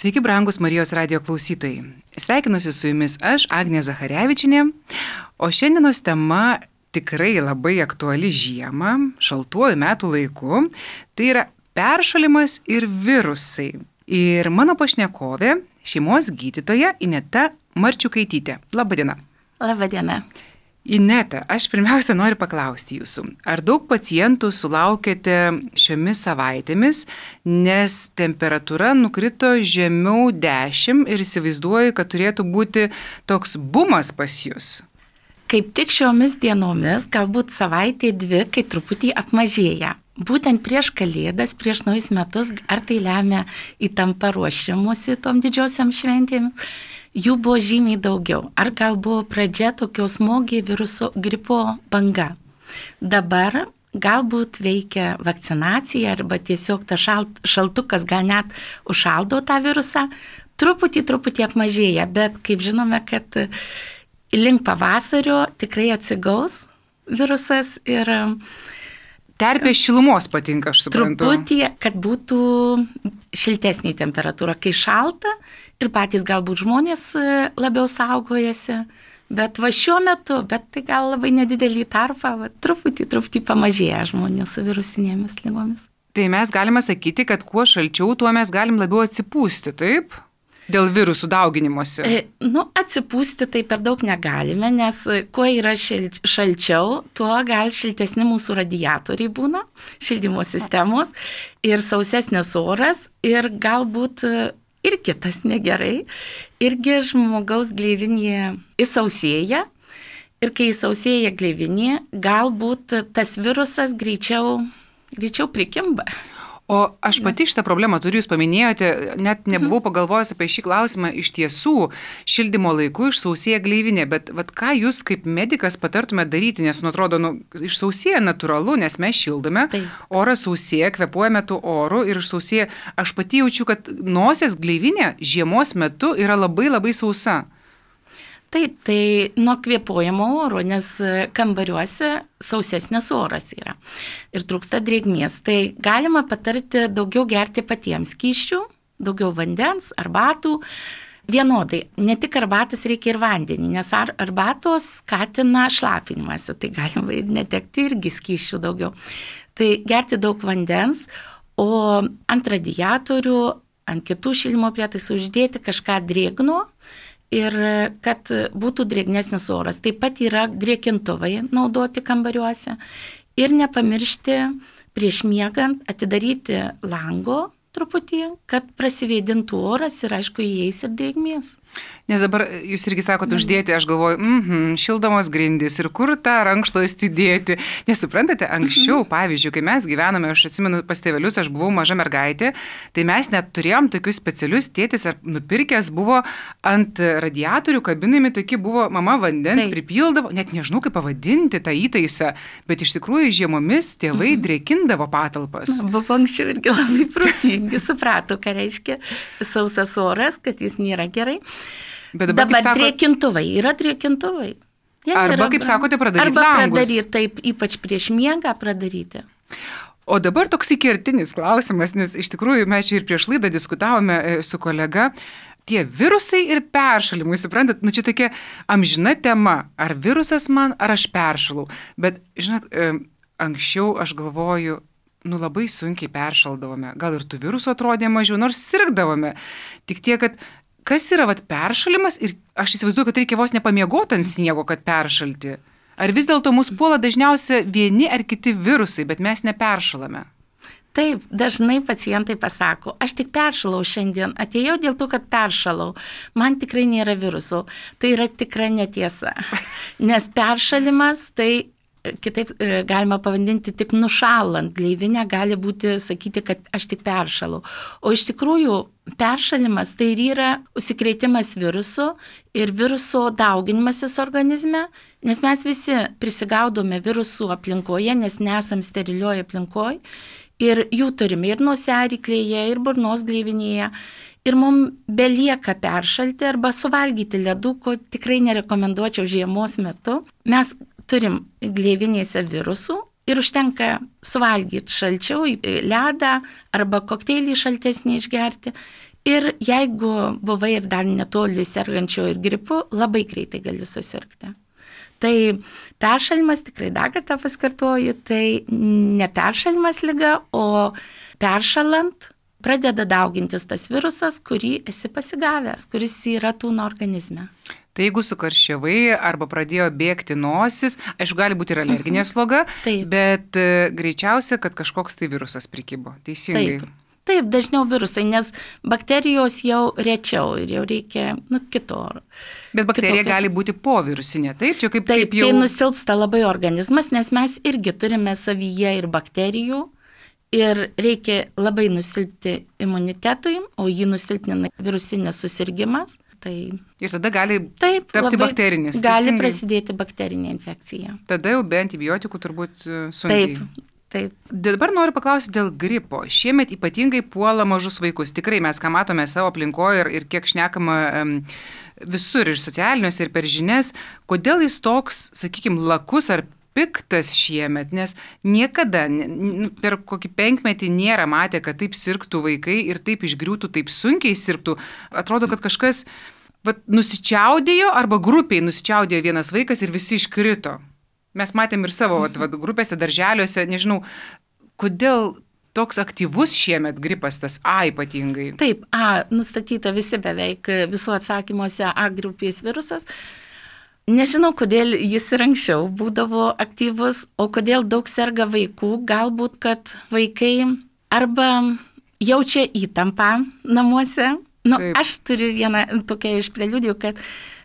Sveiki, brangus Marijos radijo klausytojai. Sveikinuosi su jumis aš, Agnė Zacharevičienė, o šiandienos tema tikrai labai aktuali žiemą, šaltuoju metų laiku, tai yra peršalimas ir virusai. Ir mano pašnekovė, šeimos gydytoja Ineta Marčiukaitytė. Labadiena. Labadiena. Ineta, aš pirmiausia noriu paklausti jūsų, ar daug pacientų sulaukėte šiomis savaitėmis, nes temperatūra nukrito žemiau 10 ir įsivaizduoju, kad turėtų būti toks bumas pas jūs? Kaip tik šiomis dienomis, galbūt savaitė dvi, kai truputį apmažėja. Būtent prieš Kalėdas, prieš naujus metus, ar tai lemia įtampa ruošimusi tom didžiosiam šventėm, jų buvo žymiai daugiau. Ar gal buvo pradžia tokios smogė viruso gripo banga. Dabar galbūt veikia vakcinacija arba tiesiog tas šaltukas gal net užšaldo tą virusą. Truputį apmažėja, bet kaip žinome, kad link pavasario tikrai atsigaus virusas ir terpė šilumos patinka, aš suprantu. Truputį, kad būtų šiltesnė temperatūra, kai šalta ir patys galbūt žmonės labiau saugojasi, bet va šiuo metu, bet tai gal labai nedidelį tarpą, truputį pamažėja žmonių su virusinėmis lygomis. Tai mes galime sakyti, kad kuo šalčiau, tuo mes galim labiau atsipūsti, taip? Dėl virusų dauginimuose. Atsipūsti tai per daug negalime, nes kuo yra šalčiau, tuo gal šiltesni mūsų radiatoriai būna, šildymo sistemos ir sausesnis oras ir galbūt ir kitas negerai. Irgi žmogaus gleivinė įsausėja ir kai įsausėja gleivinė, galbūt tas virusas greičiau prikimba. O aš pati šitą problemą turiu, jūs paminėjote, net nebuvau pagalvojęs apie šį klausimą, iš tiesų šildymo laiku išsausėja gleivinė, bet ką jūs kaip medikas patartumėte daryti, nes atrodo, išsausėja natūralu, nes mes šildome, oras sausėja, kvėpuojame tų orų ir išsausėja. Aš pati jaučiu, kad nosies gleivinė žiemos metu yra labai labai sausa. Taip, tai nuo kvėpuojamo oro, nes kambariuose sausesnis oras yra ir trūksta drėgmės. Tai galima patarti daugiau gerti patiems skysčių, daugiau vandens, arbatų. Vienodai, ne tik arbatas, reikia ir vandenį, nes arbatos skatina šlapinimąsi, tai galima netekti irgi skysčių daugiau. Tai gerti daug vandens, o ant radiatorių, ant kitų šildymo prietaisų uždėti kažką drėgno, ir kad būtų drėgnesnis oras. Taip pat yra drėkintuvai naudoti kambariuose ir nepamiršti prieš miegant atidaryti lango truputį, kad prasivėdintų oras ir aišku įeis ir drėgmės. Nes dabar jūs irgi sakote uždėti, aš galvoju, šildomos grindys ir kur tą rankšluostį dėti. Nes suprantate, anksčiau, pavyzdžiui, kai mes gyvename, aš atsimenu pas tėvelius, aš buvau maža mergaitė, tai mes net turėjom tokius specialius, tėtis ar nupirkęs buvo ant radiatorių kabinami, tokie buvo mama vandens pripildavo, net nežinau kaip pavadinti tą įtaisą, bet iš tikrųjų žiemomis tėvai drėkindavo patalpas. Buvo anksčiau irgi labai protingi, suprato, ką reiškia sausas oras, kad jis nėra gerai. Bet dabar drėkintuvai, yra drėkintuvai. Arba, kaip sakote, pradaryti langus. Arba pradaryti, taip, ypač prieš miegą pradaryti. O dabar toksai kertinis klausimas, nes iš tikrųjų mes čia ir prieš laidą diskutavome su kolega, tie virusai ir peršalimai, suprantat, čia tokia amžina tema, ar virusas man, ar aš peršalau. Bet, žinot, anksčiau aš galvoju, labai sunkiai peršaldavome, gal ir tų virusų atrodė mažiau, nors sirgdavome. Tik tiek, kad kas yra peršalimas ir aš įsivaizduoju, kad reikia vos nepamiegoti ant sniego, kad peršalti. Ar vis dėlto mus puola dažniausia vieni ar kiti virusai, bet mes neperšalame? Taip, dažnai pacientai pasako, aš tik peršalau šiandien, atėjau dėl to, kad peršalau, man tikrai nėra virusų. Tai yra tikra netiesa, nes peršalimas tai kitaip galima pavadinti tik nušalant gleivinę, gali būti sakyti, kad aš tik peršalau. O iš tikrųjų peršalimas tai ir yra užsikrėtimas virusu ir viruso dauginimasis organizme, nes mes visi prisigaudome virusų aplinkoje, nes nesam sterilioj aplinkoje ir jų turime ir nosiaryklėje, ir burnos gleivinėje. Ir mums belieka peršalti arba suvalgyti ledų, ko tikrai nerekomenduočiau žiemos metu. Mes turim gleivinėse virusų ir užtenka suvalgyti šalčiau ledą arba kokteilį šaltesnį išgerti Ir jeigu buvai ir dar netoli sergančio ir gripu, labai greitai gali susirgti. Tai peršalimas, tikrai dar kartą pasikartoju, tai ne peršalimas liga, o peršalant pradeda daugintis tas virusas, kurį esi pasigavęs, kuris yra tūno organizme. Tai jeigu sukarščiavai arba pradėjo bėgti nosis, aišku, gali būti ir alerginė sloga, bet greičiausia, kad kažkoks tai virusas prikibo. Teisingai. Taip, dažniau virusai, nes bakterijos jau rečiau ir jau reikia kito. Bet bakterija gali būti povirusinė, taip? Čia kaip taip, jau... tai nusilpsta labai organizmas, nes mes irgi turime savyje ir bakterijų ir reikia labai nusilpti imunitetui, o jį nusilpnina virusinis susirgymas. Tai... Ir tada gali tapti bakterinis. Gali prasidėti bakterinė infekcija. Tada jau be antibiotikų turbūt sunkiai. Taip. Dabar noriu paklausyti dėl gripo. Šiemet ypatingai puola mažus vaikus. Tikrai mes, ką matome savo aplinkoje ir kiek šnekama visur ir socialiniuose, ir per žinias, kodėl jis toks, sakykime, lakus ar piktas šiemet, nes niekada per kokį 5 metį nėra matę, kad taip sirgtų vaikai ir taip išgriūtų, taip sunkiai sirgtų. Atrodo, kad kažkas nusičiaudėjo arba grupiai nusičiaudėjo vienas vaikas ir visi iškrito. Mes matėm ir savo grupėse, darželiuose, nežinau, kodėl toks aktyvus šiemet gripas tas A ypatingai. Taip, A nustatyta visi beveik visų atsakymuose A grupės virusas. Nežinau, kodėl jis ir anksčiau būdavo aktyvus, o kodėl daug serga vaikų, galbūt, kad vaikai arba jaučia įtampą namuose. Aš turiu vieną tokią iš preliudijų, kad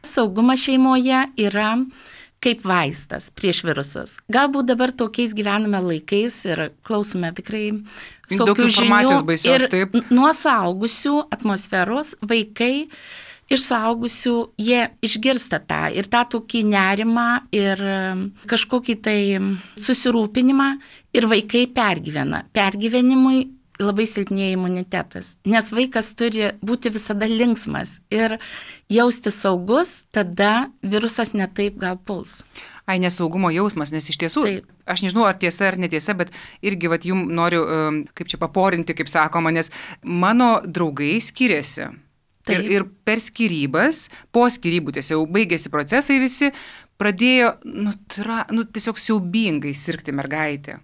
saugumas šeimoje yra kaip vaistas prieš virusus. Galbūt dabar tokiais gyvename laikais ir klausome tikrai saugių žinių. Baisios, ir nuo suaugusių atmosferos vaikai iš suaugusių jie išgirsta tą ir tą tokį nerimą ir kažkokį tai susirūpinimą ir vaikai pergyvena. Pergyvenimui labai silpnėja imunitetas, nes vaikas turi būti visada linksmas ir jausti saugus, tada virusas netaip gal puls. Nesaugumo jausmas, nes iš tiesų, aš nežinau, ar tiesa ar netiesa, bet irgi jums noriu, kaip čia paporinti, kaip sakoma, nes mano draugai skiriasi. Ir per skyrybas, po skyrybų tiesiog jau baigėsi procesai visi, pradėjo tiesiog siaubingai sirgti mergaitė.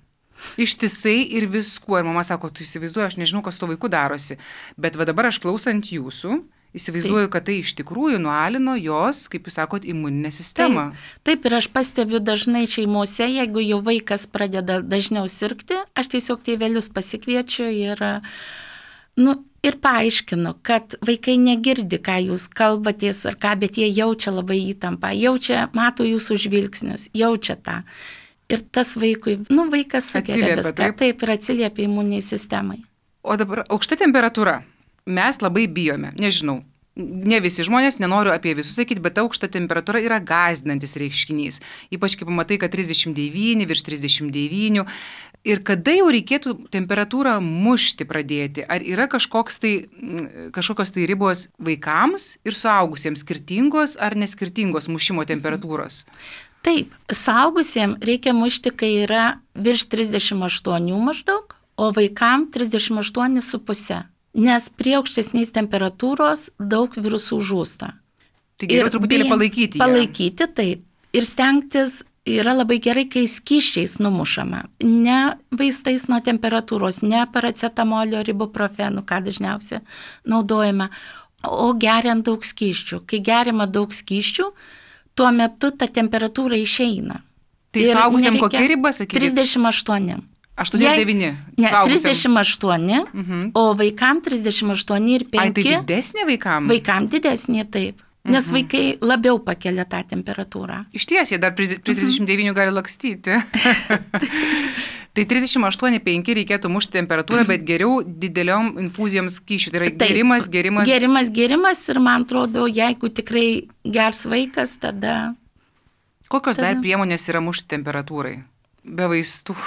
Ištisai ir viskuo. Ir mama sako, tu įsivaizduoji, aš nežinau, kas to vaiku darosi. Bet dabar aš klausant jūsų, įsivaizduoju, kad tai iš tikrųjų nualino jos, kaip jūs sakot, imuninę sistemą. Taip, ir aš pastebiu dažnai šeimose, jeigu jau vaikas pradeda dažniau sirgti, aš tiesiog tėvelius pasikviečiu ir paaiškinu, kad vaikai negirdi, ką jūs kalbatės ar ką, bet jie jaučia labai įtampą, mato jūsų žvilgsnius, jaučia tą. Ir tas vaikui, vaikas sukelia viską. Taip, ir atsiliepia imuniniai sistemai. O dabar aukšta temperatūra. Mes labai bijome, nežinau. Ne visi žmonės, nenoriu apie visus sakyti, bet aukšta temperatūra yra gąsdinantis reiškinys. Ypač kai pamatai, kad 39, virš 39. Ir kada jau reikėtų temperatūrą mušti pradėti? Ar yra kažkokios tai ribos vaikams ir suaugusiems skirtingos ar neskirtingos mušimo temperatūros? Taip, suaugusiems reikia mušti, kai yra virš 38 maždaug, o vaikam 38,5. Nes prie aukštesnės temperatūros daug virusų žūsta. Tai geriau truputėlį palaikyti. Palaikyti, taip. Ir stengtis yra labai gerai, kai skysčiais numušama. Ne vaistais nuo temperatūros, ne paracetamolio, ibuprofenų, ką dažniausiai naudojame, o geriant daug skysčių. Kai geriama daug skysčių, tuo metu ta temperatūra išeina. Tai suaugusiam kokia riba, sakykite? 38. 8,9. Ne, 38, o vaikam 38 ir 5. Ai, tai didesnė vaikam? Vaikam didesnė, taip. Nes vaikai labiau pakelia tą temperatūrą. Iš ties, jie dar prie 39 gali lakstyti. Tai 38,5 reikėtų mušti temperatūrą, bet geriau dideliom infuzijom skysčių. Tai yra gerimas ir man atrodo, jeigu tikrai gers vaikas, tada... Kokios dar priemonės yra mušti temperatūrai? Be vaistų.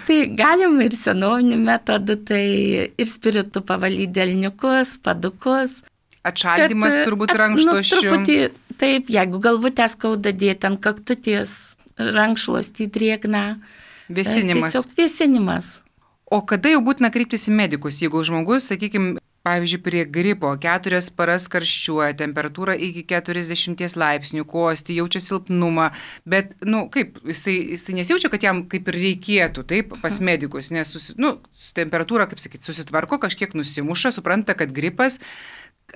Tai galim ir senovinių metodų, tai ir spiritu pavalyti delniukus, padukus. Atšaldymas turbūt rankšluosčių. Truputį, taip, jeigu galvutę skauda dėti ant kaktutės, rankšluostį drėgną. Vėsinimas. Tiesiog vėsinimas. O kada jau būtina kreiptis į medikus, jeigu žmogus, sakykime, pavyzdžiui, prie gripo 4 paras karščiuoja, temperatūra iki 40 laipsnių, kosti, jaučia silpnumą, bet, kaip, jisai nesijaučia, kad jam kaip ir reikėtų, taip, pas medikus, nes, temperatūra, kaip sakyti, susitvarko, kažkiek nusimuša, supranta, kad gripas.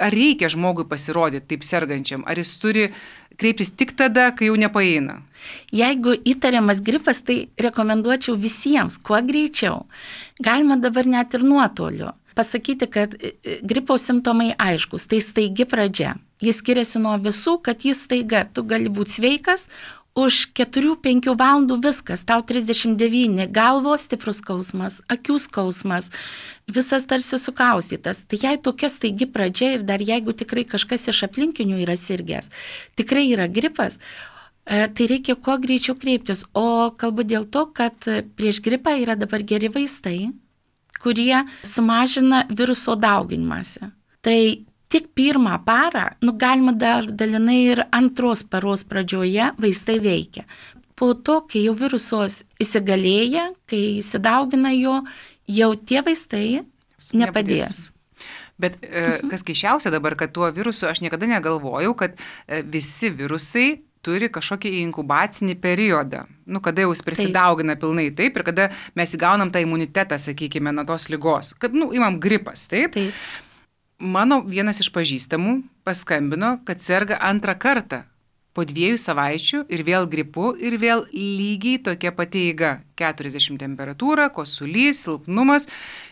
Ar reikia žmogui pasirodyti taip sergančiam, ar jis turi kreiptis tik tada, kai jau nepaeina? Jeigu įtariamas gripas, tai rekomenduočiau visiems, kuo greičiau. Galima dabar net ir nuotoliu pasakyti, kad gripo simptomai aiškus, tai staigi pradžia. Jis skiriasi nuo visų, kad jis staiga, tu gali būti sveikas, už 4-5 valandų viskas, tau 39, galvos stiprus skausmas, akių skausmas, visas tarsi sukaustytas. Tai jei tokia staigi pradžia ir dar jeigu tikrai kažkas iš aplinkinių yra sirgęs, tikrai yra gripas, tai reikia kuo greičiau kreiptis. O kalbu dėl to, kad prieš gripą yra dabar geri vaistai, kurie sumažina viruso dauginimąsi. Tai tik pirmą parą, galima dar dalinai ir antros paros pradžioje vaistai veikia. Po to, kai jau virusos įsigalėja, kai įsidaugina jau tie vaistai nepadės. Bet kas keiščiausia dabar, kad tuo virusu aš niekada negalvojau, kad visi virusai turi kažkokį inkubacinį periodą, kada jau jis prisidaugina pilnai, taip, ir kada mes įgaunam tą imunitetą, sakykime, nuo tos ligos, kad, imam gripas, taip. Mano vienas iš pažįstamų paskambino, kad serga antrą kartą po 2 savaičių ir vėl gripu ir vėl lygiai tokia pati eiga. 40 temperatūra, kosulys, silpnumas.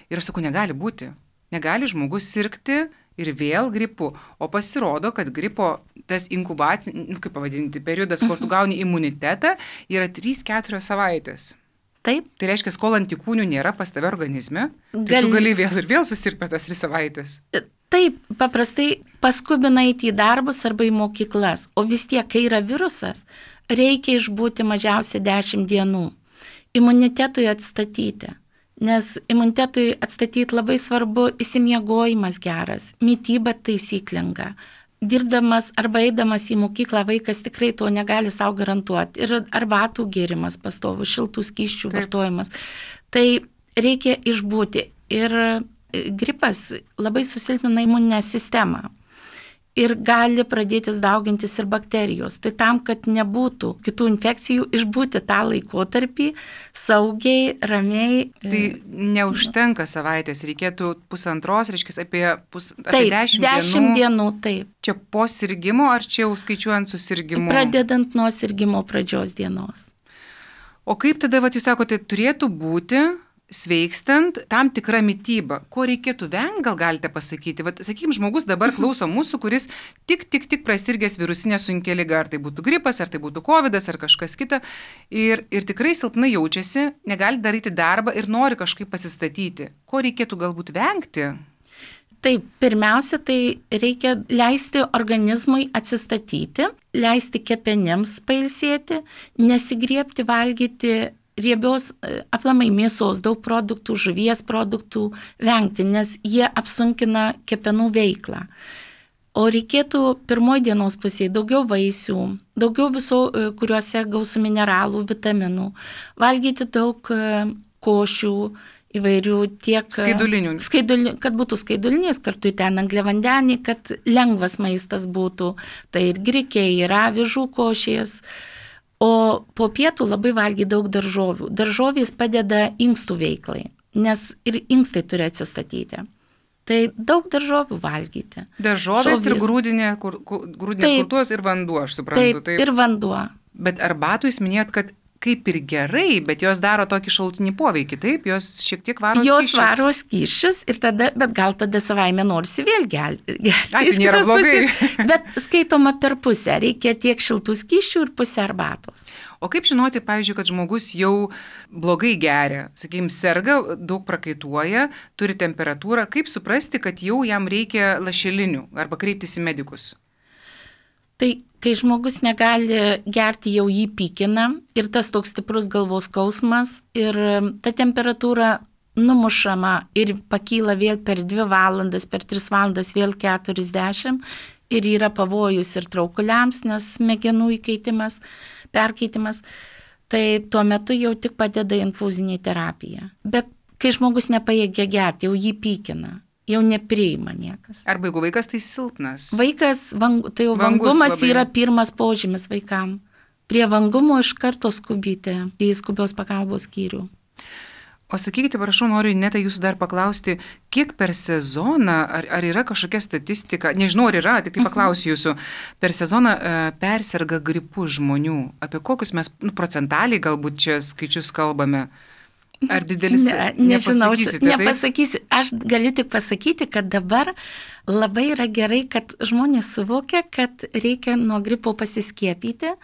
Ir aš sakau, negali būti. Negali žmogus sirgti ir vėl gripu. O pasirodo, kad gripo tas inkubacinis, kaip pavadinti, periodas, kur tu gauni imunitetą, yra 3-4 savaitės. Taip. Tai reiškia, kol antikūnių nėra pas tave organizme, tai tu gali vėl ir vėl susirgti per tas 3 savaitės. Taip, paprastai paskubina eiti į darbus arba į mokyklas, o vis tiek, kai yra virusas, reikia išbūti mažiausiai 10 dienų. Imunitetui atstatyti, nes imunitetui atstatyti labai svarbu įsimiegojimas geras, mityba taisyklinga. Dirbdamas arba eidamas į mokyklą vaikas tikrai to negali savo garantuoti. Ir arbatų gėrimas pastovų, šiltų skysčių vartojimas. Tai reikia išbūti. Ir gripas labai susilpnina imuninę sistemą. Ir gali pradėtis daugintis ir bakterijos. Tai tam, kad nebūtų kitų infekcijų, išbūti tą laikotarpį saugiai, ramiai. Tai neužtenka savaitės, reikėtų 1,5, reiškia apie 10 dienų. Taip. Čia po sirgimo ar čia jau skaičiuojant su sirgimu? Pradedant nuo sirgimo pradžios dienos. O kaip tada, jūs sakote, turėtų būti sveikstant tam tikra mityba? Ko reikėtų vengti, gal galite pasakyti? Sakykime, žmogus dabar klauso mūsų, kuris tik prasirgęs virusinę sunkia liga, ar tai būtų gripas, ar tai būtų covidas, ar kažkas kita, ir tikrai silpnai jaučiasi, negali daryti darbą ir nori kažkaip pasistatyti. Ko reikėtų galbūt vengti? Taip, pirmiausia, tai reikia leisti organizmui atsistatyti, leisti kepenims pailsėti, nesigriebti valgyti riebios aplamai mėsos, daug produktų, žuvies produktų vengti, nes jie apsunkina kepenų veiklą. O reikėtų pirmoji dienos pusėje daugiau vaisių, daugiau visų, kuriuose gausu mineralų, vitaminų, valgyti daug košių įvairių tiek skaidulinių, kad būtų skaidulinės, kartu ten angliavandeniai, kad lengvas maistas būtų, tai ir grikiai, ir avižų košės. O po pietų labai valgy daug daržovių. Daržovės padeda inkstų veiklai, nes ir inkstai turi atsistatyti. Tai daug daržovių valgyti. Daržovės ir grūdinės kultūros ir vanduo, aš suprantu. Taip, ir vanduo. Bet arbatų jūs minėjot, kad kaip ir gerai, bet jos daro tokį šalutinį poveikį, taip? Jos šiek tiek varo skysčius. Jos varo skysčius, bet gal tada savaime norisi vėl gerti. Tai nėra blogai. Bet skaitoma per pusę. Reikia tiek šiltų skysčių ir pusę arbatos. O kaip žinoti, pavyzdžiui, kad žmogus jau blogai geria, sakykime, serga, daug prakaituoja, turi temperatūrą, kaip suprasti, kad jau jam reikia lašelinių arba kreiptis į medikus? Tai kai žmogus negali gerti, jau jį pykina ir tas toks stiprus galvos skausmas ir ta temperatūra numušama ir pakyla vėl per 2 valandas, per 3 valandas vėl 40 ir yra pavojus ir traukuliams, nes smegenų perkeitimas, tai tuo metu jau tik padeda infuzinė terapija. Bet kai žmogus nepajėgia gerti, jau jį pykina. jau nepriima niekas. Arba jeigu vaikas tai silpnas. Vaikas, tai jau vangumas yra pirmas požymis vaikam. Prie vangumo iš karto skubite į skubios pagalbos skyrių. O sakykite, prašau, noriu Ineta jūsų dar paklausti, kiek per sezoną, ar yra kažkokia statistika, nežinau, ar yra, tik tai paklausiu jūsų, per sezoną perserga gripu žmonių, apie kokius mes procentaliai galbūt čia skaičius kalbame? Ar didelis? Nežinau, nepasakysiu. Aš galiu tik pasakyti, kad dabar labai yra gerai, kad žmonės suvokia, kad reikia nuo gripo pasiskiepyti.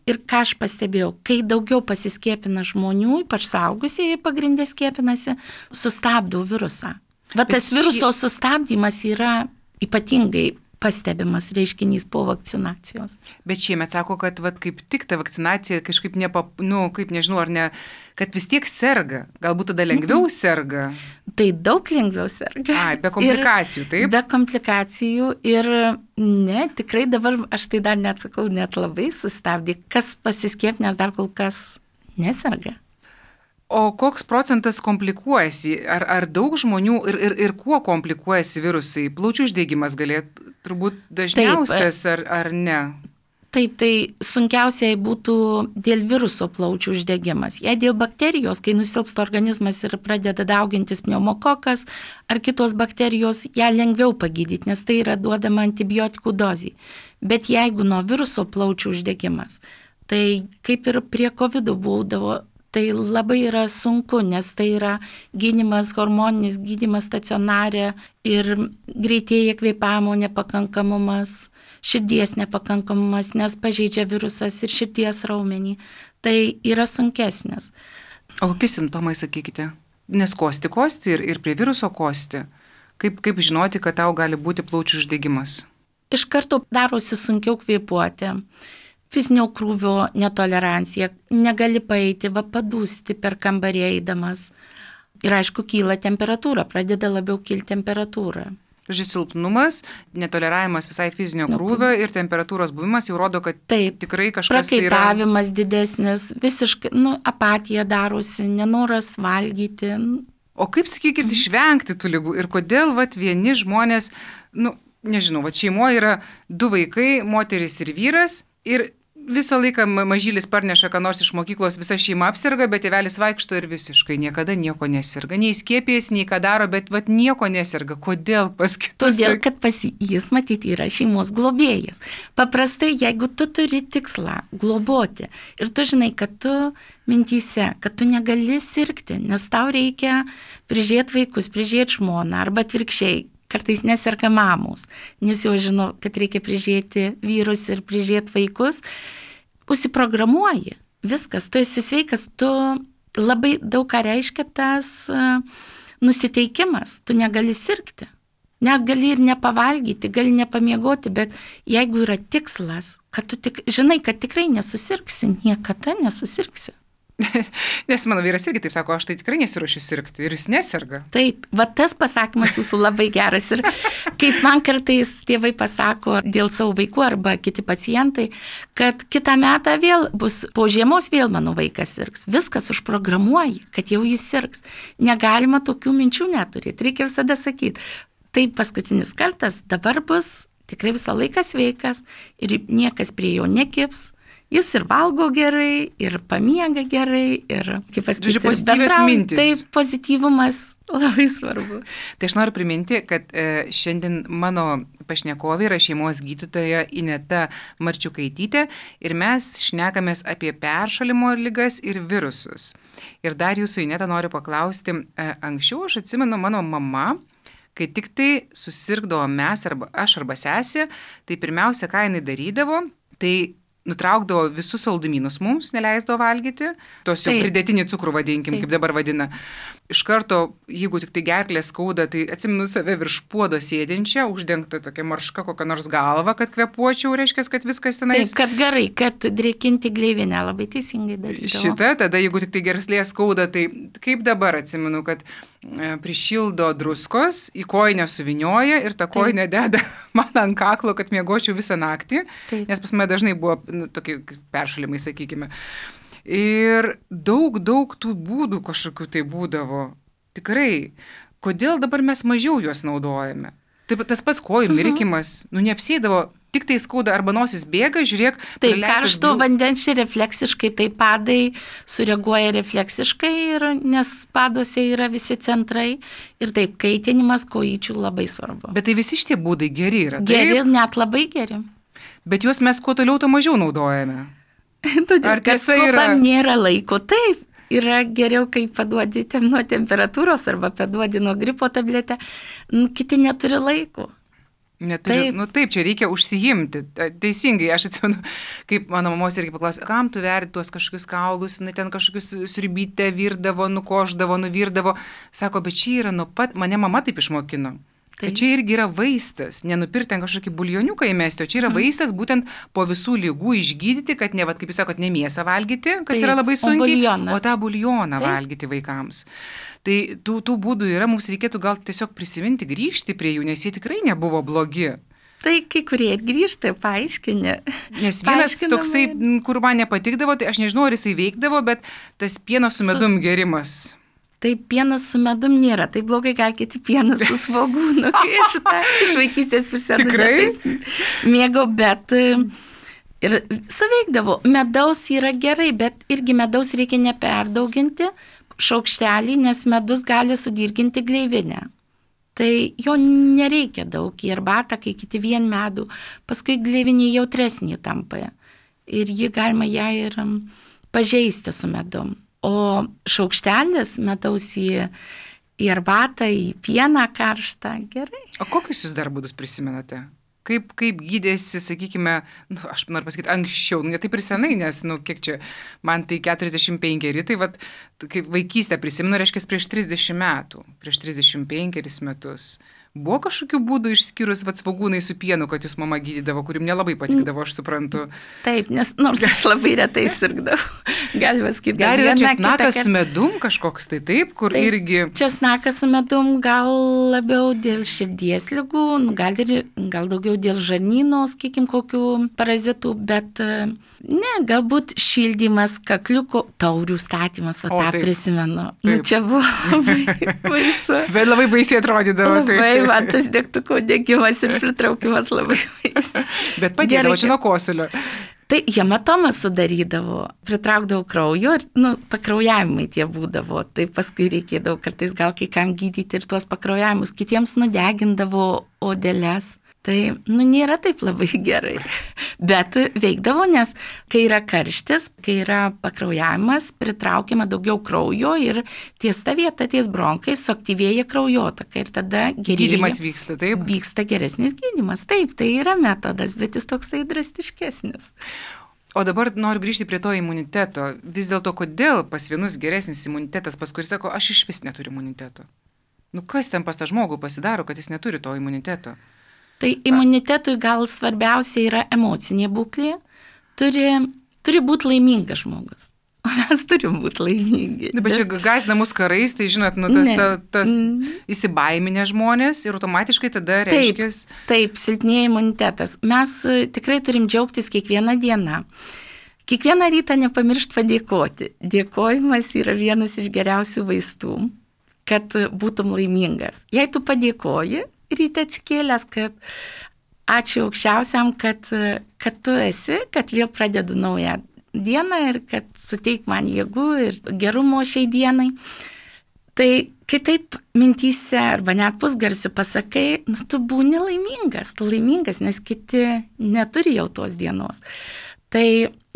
Ir ką aš pastebėjau, kai daugiau pasiskiepina žmonių, ypač suaugusieji pagrindė skiepinasi, sustabdau virusą. Va tas viruso sustabdymas yra ypatingai pastebimas reiškinys po vakcinacijos. Bet šiemet sako, kad kaip tik ta vakcinacija kažkaip kaip nežinau, ar ne, kad vis tiek serga. Galbūt tada lengviau serga. Tai daug lengviau serga. Be komplikacijų, taip? Be komplikacijų ir ne, tikrai dabar aš tai dar neatsakau, net labai sustabdė. Kas pasiskiepinęs dar kol kas neserga. O koks procentas komplikuojasi? Ar daug žmonių ir kuo komplikuojasi virusai? Plaučių uždegimas galėtų turbūt dažniausias, ar ne? Taip, tai sunkiausiai būtų dėl viruso plaučių uždegimas. Jei dėl bakterijos, kai nusilpsta organizmas ir pradeda daugintis pneumokokas ar kitos bakterijos, ją lengviau pagydyti, nes tai yra duodama antibiotikų dozė. Bet jeigu nuo viruso plaučių uždegimas, tai kaip ir prie COVID būdavo, tai labai yra sunku, nes tai yra gydymas, hormoninis gydymas stacionare ir greitėja kvėpavimo nepakankamumas, širdies nepakankamumas, nes pažeidžia virusas ir širdies raumenį. Tai yra sunkesnės. O kokie simptomai, sakykite? Nes kosti ir prie viruso kosti. Kaip žinoti, kad tau gali būti plaučių uždegimas? Iš karto darosi sunkiau kvėpuoti. Fizinio krūvio netolerancija, negali paeiti, padūsti per kambarį eidamas. Ir aišku, kyla temperatūra, pradeda labiau kilti temperatūra. Silpnumas, netoleravimas visai fizinio krūvio ir temperatūros buvimas jau rodo, kad tikrai kažkas tai yra. Prakaitavimas didesnis, visiškai apatija darosi, nenoras valgyti. O kaip, sakykit, išvengti tų ligų ir kodėl vieni žmonės, nežinau, šeimoje yra 2 vaikai, moteris ir vyras ir visą laiką mažylis parneša, ką nors iš mokyklos, visa šeima apsirga, bet tėvelis vaikšto ir visiškai niekada nieko neserga. Nei skiepijas, nei ką daro, bet nieko neserga. Kodėl pas kitus? Todėl, kad jis matyti yra šeimos globėjas. Paprastai, jeigu tu turi tikslą globoti ir tu žinai, kad tu mintyse, kad tu negali sirgti, nes tau reikia prižiūrėti vaikus, prižiūrėti žmoną arba atvirkščiai. Kartais neserga mamos, nes jau žino, kad reikia prižiūrėti vyrus ir prižiūrėti vaikus. Užsiprogramuoji, viskas, tu esi sveikas, tu labai daug ką reiškia tas nusiteikimas, tu negali sirgti. Net gali ir nepavalgyti, gali nepamiegoti, bet jeigu yra tikslas, kad tu žinai, kad tikrai nesusirgsi, niekada nesusirgsi. Nes mano vyras irgi taip sako, aš tai tikrai nesiruošiu sirgti ir jis neserga. Taip, tas pasakymas jūsų labai geras ir kaip man kartais tėvai pasako dėl savo vaikų arba kiti pacientai, kad kitą metą vėl bus, po žiemos vėl mano vaikas sirgs. Viskas užprogramuoji, kad jau jis sirgs. Negalima tokių minčių neturėti, reikia visada sakyti. Tai paskutinis kartas, dabar bus tikrai visą laiką sveikas ir niekas prie jo nekibs. Jis ir valgo gerai, ir pamiega gerai, ir, kaip pasakyti, pozityvios mintis. Tai pozityvumas labai svarbu. Tai aš noriu priminti, kad šiandien mano pašnekovė yra šeimos gydytoja Ineta Marčiukaitytė ir mes šnekamės apie peršalimo ligas ir virusus. Ir dar jūsų, Ineta, noriu paklausti, anksčiau aš atsimenu mano mama, kai tik tai susirgdavo mes arba aš arba sesė, tai pirmiausia, ką jinai darydavo, tai nutraukdavo visus saldumynus mums, neleisdavo valgyti, tos jau pridėtinį cukrų vadinkim, kaip dabar vadina. Iš karto, jeigu tik tai gerklė skauda, tai atsimenu save virš puodo sėdinčią, uždengta tokia marška kokią nors galvą, kad kvėpuočiau, reiškia, kad viskas tenais. Taip, kad gerai, kad drėkinti gleivinę, labai teisingai darydavo. Šitą, tada jeigu tik tai gerklė skauda, tai kaip dabar atsimenu, kad prišildo druskos, į kojinę suvinioja ir tą kojinę deda man ant kaklo, kad miegočiau visą naktį, nes pas mane dažnai buvo tokie peršalimai, sakykime. Ir daug tų būdų kažkokių tai būdavo. Tikrai. kodėl dabar mes mažiau juos naudojame? Taip, tas pats kojų mirkymas, neapsėdavo, tik tai skauda arba nosis bėga, žiūrėk. Taip, karšto vandens refleksiškai, tai padai sureaguoja refleksiškai, nes paduose yra visi centrai. Ir taip, kaitinimas kojyčių labai svarbu. Bet tai visi šitie būdai geri yra. Geri, net labai geri. Bet juos mes kuo toliau, to mažiau naudojame. Ar tiesa yra? Nėra laiko, taip. Yra geriau, kai paduodi nuo temperatūros arba paduodi nuo gripo tabletę, kiti neturi laiko. Neturi, taip, čia reikia užsijimti. Teisingai, aš atsimenu, kaip mano mamos irgi paklausė, kam tu verdi tuos kažkokius kaulus, ten kažkokius sriubytę virdavo, nukoždavo, nuvirdavo. Sako, bet čia yra nuo pat, mane mama taip išmokino. Tai čia irgi yra vaistas, nenupirkti ten kažkokį buljoniuką įmesti, o čia yra vaistas būtent po visų lygų išgydyti, kad ne, kaip jūs sakot, ne mėsą valgyti, kas yra labai sunkiai, o tą buljoną valgyti vaikams. Tai tų būdų yra, mums reikėtų gal tiesiog prisiminti, grįžti prie jų, nes jie tikrai nebuvo blogi. Tai kai kurie ir grįžta, paaiškinė. Nes vienas toksai, kur man nepatikdavo, tai aš nežinau, ar jisai veikdavo, bet tas pieno su medum gerimas. Tai pienas su medum nėra, tai blogai gal kiti pienas su svogūnu, kai aš tą iš vaikystės prisimenu. Tikrai? Mėgau, bet ir suveikdavo. Medaus yra gerai, bet irgi medaus reikia neperdauginti šaukštelį, nes medus gali sudirginti gleivinę. Tai jo nereikia daug į arbatą, kai kiti vien medų, paskui gleivinė jautresnė tampa. Ir jį galima ją ir pažeisti su medum. O šaukštelis medaus į arbatą, į pieną karštą, gerai. O kokius jūs dar būdus prisimenate? Kaip gydėsi, sakykime, aš noriu pasakyti, anksčiau, ne taip ir senai, nes, kiek čia, man tai 45, tai kaip vaikystę prisimenu, reiškia, prieš 30 metų, prieš 35 metus. Buvo kažkokių būdų išskyrus svogūnai su pienu, kad jūs mama gydydavo, kurim nelabai patikdavo, aš suprantu. Taip, nes nors aš labai retai sirgdavau. Galima sakyti, dar yra česnakas su medum kažkoks, tai taip, kur taip, irgi... Česnakas su medum gal labiau dėl širdies ligų, gal daugiau dėl žarnyno, sakykim, kokių parazitų, bet ne, galbūt šildymas, kakliuko, taurių statymas, tą prisimenu. Čia buvo labai baisu. Bet labai baisiai atrodydavo. Man tas degtuko degimas ir pritraukimas labai baisu. Bet padėdavo čia nuo kosulio. Tai hematomas sudarydavo, pritraukdavo kraujo ir pakraujavimai tie būdavo. Tai paskui reikėdavo kartais gal kai kam gydyti ir tuos pakraujavimus. Kitiems nudegindavo odeles. Tai nėra taip labai gerai. Bet veikdavo, nes kai yra karštis, kai yra pakraujavimas, pritraukiama daugiau kraujo ir ties ta vieta, ties bronkai, suaktyvėja kraujotaka ir tada gerėja. Gydymas vyksta, taip? Vyksta geresnis gydymas, taip, tai yra metodas, bet jis toksai drastiškesnis. O dabar noriu grįžti prie to imuniteto. Vis dėlto, kodėl pas vienus geresnis imunitetas, pas kuris sako, aš iš vis neturiu imuniteto? Kas ten pas tą žmogų pasidaro, kad jis neturi to imuniteto? Tai imunitetui gal svarbiausia yra emocinė būklė, turi būti laimingas žmogus. O mes turim būti laimingi. Bet čia gąsdina mus karais, tai žinot, tas įsibaiminę žmonės ir automatiškai tada reiškia... Taip, silpnėja imunitetas. Mes tikrai turim džiaugtis kiekvieną dieną. Kiekvieną rytą nepamiršt padėkoti. Dėkojimas yra vienas iš geriausių vaistų, kad būtum laimingas. Jei tu padėkoji, ryte atsikėlęs, kad ačiū aukščiausiam, kad tu esi, kad vėl pradedu naują dieną ir kad suteik man jėgų ir gerumo šiai dienai. Tai kai taip mintyse arba net pusgarsiu pasakai, tu būni laimingas, nes kiti neturi jau tos dienos. Tai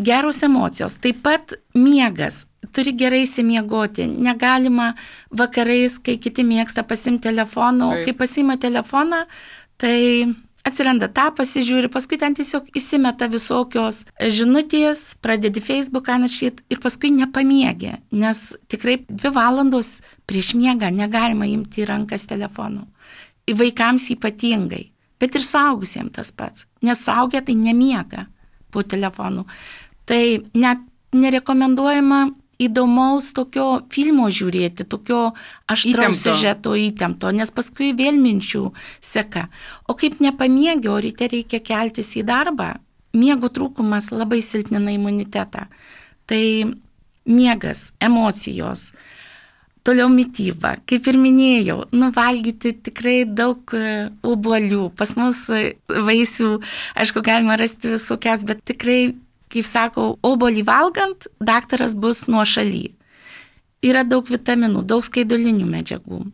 geros emocijos, taip pat miegas. Turi gerai įsimiegoti. Negalima vakarais, kai kiti mėgsta pasimti telefoną, kai pasima telefoną, tai atsiranda tą, pasižiūri, paskui ten tiesiog įsimeta visokios žinutės, pradedi Facebooką naršyti ir paskui nepamiegi, nes tikrai 2 valandos prieš miegą negalima imti į rankas telefonų. Į vaikams ypatingai, bet ir suaugusiems tas pats, nes suaugę tai nemiega po telefonu. Tai net nerekomenduojama įdomaus tokio filmo žiūrėti, tokio aštraus siužeto įtempto, nes paskui vėl minčių seka. O kaip nepamiegi, o ryte reikia keltis į darbą, miego trūkumas labai silpnina imunitetą. Tai miegas, emocijos, Toliau mityba. Kaip ir minėjau, valgyti tikrai daug obuolių. Pas mus vaisių, aišku, galima rasti visokias, bet tikrai, kaip sakau, obuolį valgant, daktaras bus nuošaly. Yra daug vitaminų, daug skaidulinių medžiagų.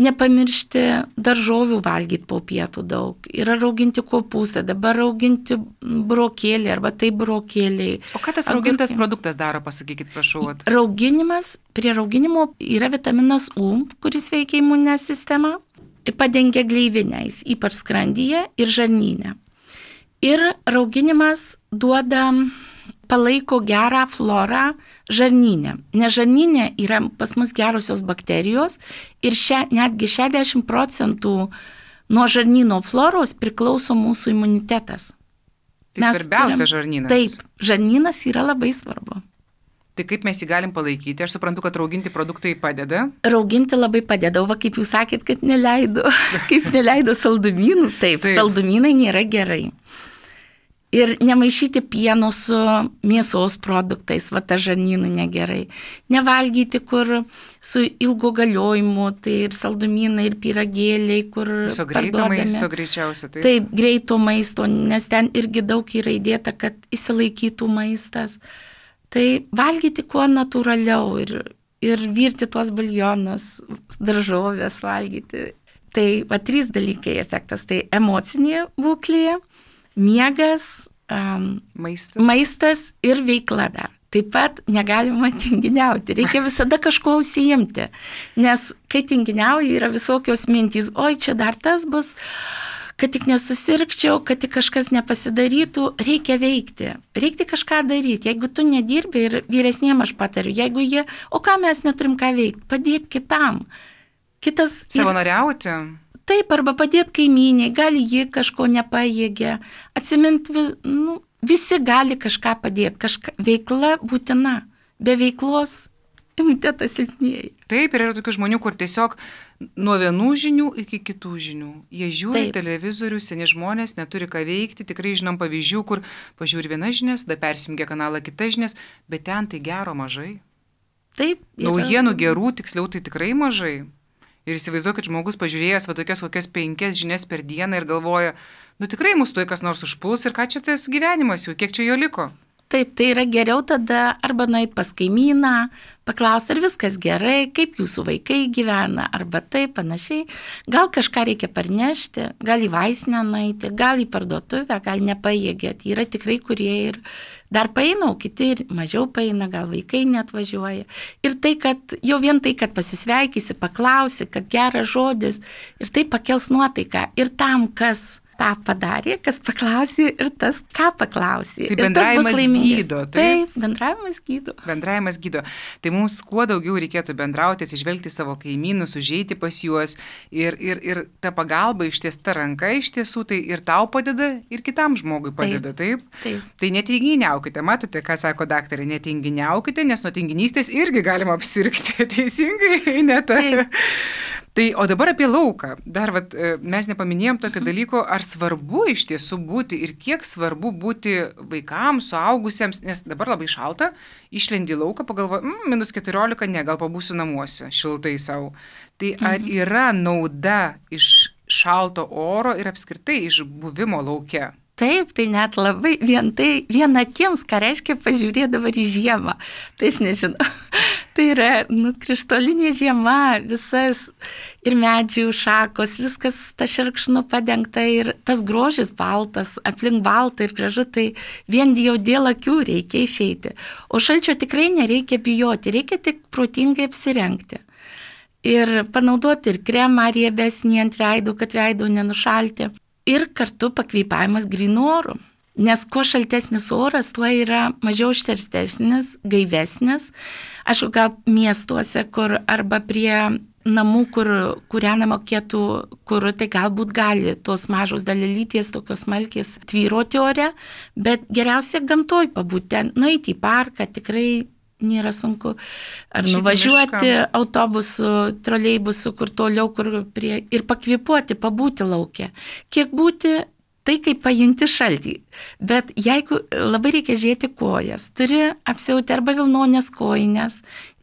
Nepamiršti daržovių valgyti po pietų daug. Yra rauginti kopūstai, dabar rauginti burokėliai arba tai burokėliai. O ką tas raugintas produktas daro, pasakykit, prašau. Rauginimas, prie rauginimo yra vitaminas U, kuris veikia imuninę sistemą, padengia gleivinės, ypač skrandyje ir žarnyne. Ir rauginimas palaiko gerą florą žarnyne. Nes žarnyne yra pas mus gerosios bakterijos ir netgi 60% nuo žarnyno floros priklauso mūsų imunitetas. Tai svarbiausia žarnynas. Taip, žarnynas yra labai svarbu. Tai kaip mes jį galim palaikyti? Aš suprantu, kad rauginti produktai padeda. Rauginti labai padeda, va kaip jūs sakėt, kad neleido. Kaip neleido saldumynų. Taip, saldumynai nėra gerai. Ir nemaišyti pieno su mėsos produktais, va ta žarnynų negerai. Nevalgyti, kur su ilgo galiojimu, tai ir saldumynai, ir pyragėliai, kur viso greito maisto greičiausia. Taip, greito maisto, nes ten irgi daug yra įdėta, kad įsilaikytų maistas. Tai valgyti kuo natūraliau ir virti tuos buljonus, daržovės valgyti. Tai va 3 dalykai efektas. Tai emocinė būklė, miegas, maistas ir veikla dar. Taip pat negalima tinginiauti, reikia visada kažko užsiimti, nes kai tinginiauji yra visokios mintys, oi čia dar tas bus, kad tik nesusirgčiau, kad tik kažkas nepasidarytų, reikia veikti, reikia kažką daryti. Jeigu tu nedirbi ir vyresniem aš patariu, jeigu jie, o ką mes neturim ką veikti, padėti kitam. Savanoriauti. Taip, arba padėti kaimyniai, gali ji kažko nepajėgia, atsiminti, visi gali kažką padėti, veikla būtina, be veiklos imunitetas silpnėja. Taip, ir yra tokių žmonių, kur tiesiog nuo vienų žinių iki kitų žinių. Jie žiūri televizorių, seni žmonės, neturi ką veikti, tikrai žinom pavyzdžių, kur pažiūri vienas žinias, tada persijungia kanalą kitas žinias, bet ten tai gero mažai. Taip. Naujienų gerų, tiksliau, tai tikrai mažai. Ir įsivaizduoju, kad žmogus pažiūrėjęs tokias kokias 5 žinias per dieną ir galvoja, tikrai mūsų tuoj kas nors užpuls ir ką čia tas gyvenimas jau, kiek čia jo liko. Taip, tai yra geriau tada arba nueit pas kaimyną, paklausti, ar viskas gerai, kaip jūsų vaikai gyvena, arba taip panašiai. Gal kažką reikia parnešti, gal į vaistinę nueiti, gal į parduotuvę, gal nepajėgėt. Yra tikrai, kurie ir dar paeina, o kiti ir mažiau paeina, gal vaikai net važiuoja. Ir tai, kad jau vien tai, kad pasisveikysi, paklausi, kad geras žodis, ir tai pakels nuotaiką. Ir tam, kas tą padarė, kas paklausė ir tas, ką paklausė. Tai bendravimas gydo. Taip, bendravimas gydo. Bendravimas gydo. Tai mums kuo daugiau reikėtų bendrauti, atsižvelgti savo kaimynus, užeiti pas juos ir ta pagalba ištiesta ranka iš tiesų, tai ir tau padeda, ir kitam žmogui padeda, taip? Taip. Tai netinginiaukite, matote, ką sako daktarė, netinginiaukite, nes nuo tinginystės irgi galima apsirgti, teisingai, ne taip. Tai, o dabar apie lauką. Dar mes nepaminėjom tokio dalyko, ar svarbu iš tiesų būti ir kiek svarbu būti vaikams, suaugusiems, nes dabar labai šalta, išlendi lauką, pagalvoji, -14, ne, gal pabūsiu namuose, šiltai savo. Tai ar yra nauda iš šalto oro ir apskritai iš buvimo lauke? Taip, tai net labai vien akims, ką reiškia pažiūrėti dabar į žiemą. Tai aš nežinau. Tai yra krištolinė žiema, visas ir medžių šakos, viskas ta šerkšnu padengta ir tas grožis baltas, aplink balta ir gražu, tai vien jau dėl akių reikia išeiti. O šalčio tikrai nereikia bijoti, reikia tik protingai apsirengti. Ir panaudoti ir kremą riebesnį ant veidų, kad veidų nenušalti. Ir kartu pakvėpavimas grynu oru. Nes kuo šaltesnis oras, tuo yra mažiau užterštesnis, gaivesnis. Aišku, gal miestuose, kur arba prie namų, kur kūrenama kietų kuru, tai galbūt gali tos mažos dalelytės, tokios smalkės tvyroti ore, bet geriausia gamtoj pabūti, nueiti į parką, tikrai nėra sunku. Ar nuvažiuoti autobusu, troleibusu, kur toliau, kur prie, ir pakvėpuoti, pabūti lauke. Kiek būti, tai kaip pajunti šaltį. Bet jeigu labai reikia žiūrėti kojas, turi apsiauti arba vilnonės kojines,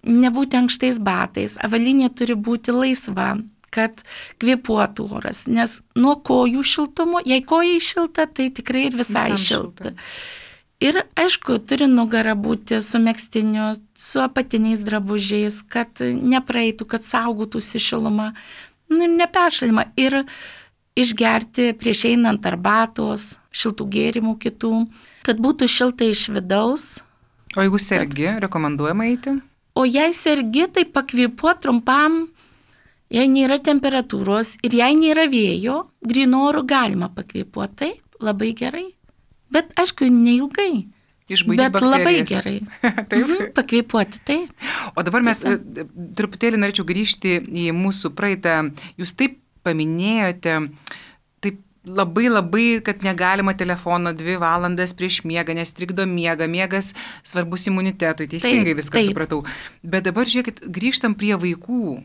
nebūti ankštais batais, avalynė turi būti laisva, kad kvėpuotų oras, nes nuo kojų šiltumo, jei kojai šilta, tai tikrai ir visai šilta. Ir aišku, turi nugara būti su megztiniu, su apatiniais drabužiais, kad nepraeitų, kad saugotųsi šilumą, neperšalimą. Ir išgerti prieš einant arbatos, šiltų gėrimų kitų, kad būtų šilta iš vidaus. O jeigu sergi, rekomenduojama eiti? O jei sergi, tai pakvėpuoti trumpam, jei nėra temperatūros ir jei nėra vėjo, grynu oru galima pakvėpuoti, taip, labai gerai. Bet aišku, neilgai. Išbaidyti bakterijas. Labai gerai. Taip. Pakvėpuoti, taip. O dabar mes truputėlį norėčiau grįžti į mūsų praeitą, jūs taip paminėjote, taip labai, kad negalima telefono 2 valandas prieš miegą, nes trikdo miegą, miegas svarbus imunitetui, teisingai viską supratau. Bet dabar žiūrėkit, grįžtam prie vaikų.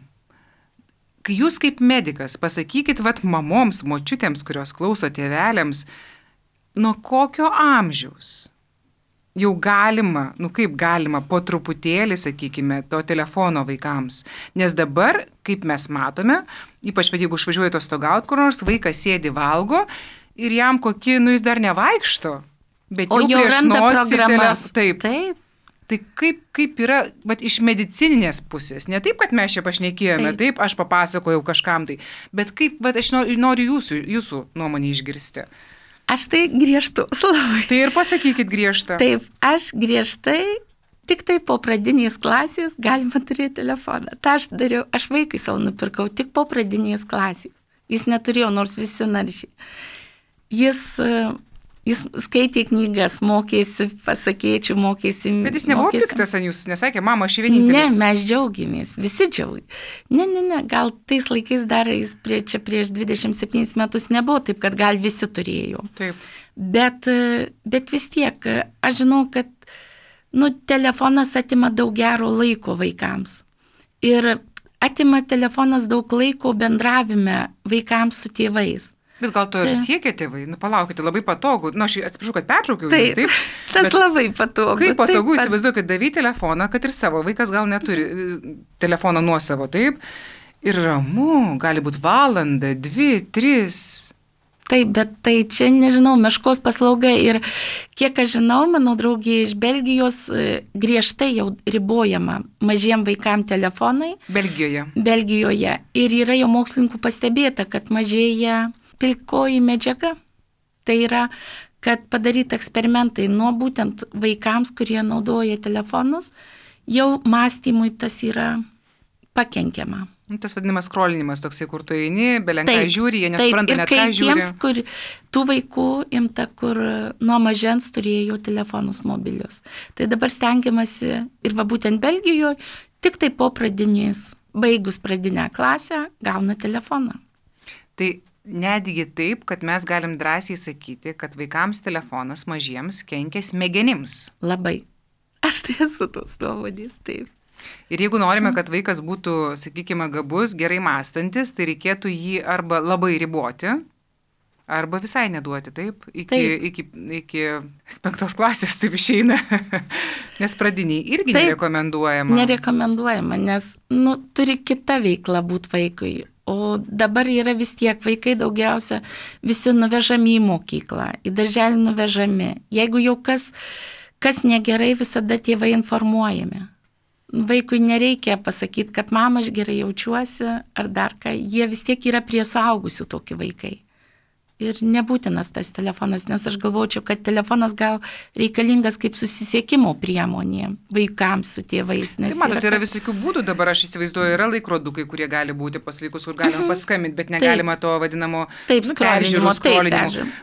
Kai jūs kaip medikas pasakykit, mamoms, močiutėms, kurios klauso tėveliams, nuo kokio amžiaus jau galima, kaip galima, po truputėlį, sakykime, to telefono vaikams. Nes dabar, kaip mes matome, ypač jeigu išvažiuoja atostogauti kur nors, vaikas sėdi valgo ir jam jis dar nevaikšto, bet jau prieš nosį taip. Tai kaip yra iš medicininės pusės, ne taip, kad mes čia pašnekėjome, taip, aš papasakojau kažkam tai, bet kaip, aš noriu jūsų nuomonę išgirsti. Aš tai griežtu labai. Tai ir pasakykit griežtą. Taip, aš griežtai, tik tai po pradinės klasės galima turėti telefoną. Ta aš dariau, aš vaikui savo nupirkau tik po pradinės klasės. Jis neturėjo, nors visi naršiai. Jis skaitė knygas, mokėsi pasakėčių, mokėsi. Bet jis nebuvo piktas ant jūs, nesakė, mama, aš vienintelis. Ne, mes džiaugiamės, visi džiaugiamės. Ne, gal tais laikais dar jis prieš 27 metus nebuvo taip, kad gal visi turėjo. Taip. Bet vis tiek, aš žinau, kad telefonas atima daug gero laiko vaikams. Ir atima telefonas daug laiko bendravime vaikams su tėvais. Bet gal to ir siekia tėvai? Palaukite, labai patogu. Aš atsiprašau, kad pertraukiau jūs, taip? Tas labai patogu. Kaip patogu, įsivaizduokit, davai telefoną, kad ir savo vaikas gal neturi telefono nuosavo, taip? Ir ramu, gali būti valanda, 2, 3. Taip, bet tai čia, nežinau, meškos paslauga ir kiek aš žinau, mano draugė iš Belgijos griežtai jau ribojama mažiem vaikam telefonai. Belgijoje. Ir yra jau mokslininkų pastebėta, kad mažėja pilkoji medžiaga. Tai yra, kad padaryti eksperimentai nuo būtent vaikams, kurie naudoja telefonus, jau mąstymui tas yra pakenkiama. Tas vadinamas skrolinimas toksai, kur tu eini, belenkai žiūri, jie nesupranta net ką žiūri. Tiems, kur tų vaikų imta, kur nuo mažens turėjo telefonus mobilius. Tai dabar stengiamasi ir būtent Belgijoje, tik tai po pradinės, baigus pradinę klasę, gauna telefoną. Tai netgi taip, kad mes galim drąsiai sakyti, kad vaikams telefonas mažiems kenkia smegenims. Labai. Aš tai esu tos nuomonės, taip. Ir jeigu norime, kad vaikas būtų, sakykime, gabus, gerai mąstantis, tai reikėtų jį arba labai riboti, arba visai neduoti, taip? Iki 5 klasės taip išeina. Nes pradiniai irgi nerekomenduojama. Nerekomenduojama, nes turi kita veikla būti vaikui. O dabar yra vis tiek vaikai daugiausia visi nuvežami į mokyklą, į darželį nuvežami. Jeigu jau kas negerai, visada tėvai informuojami. Vaikui nereikia pasakyti, kad mama, aš gerai jaučiuosi ar dar ką. Jie vis tiek yra prie suaugusių tokie vaikai. Ir nebūtinas tas telefonas, nes aš galvočiau, kad telefonas gal reikalingas kaip susisiekimo priemonė vaikams su tėvais. Tai matote, yra visokių būdų, dabar aš įsivaizduoju, yra laikrodukai, kurie gali būti pas vaikus, kur galima paskambinti, bet negalima to vadinamo skrolinimo.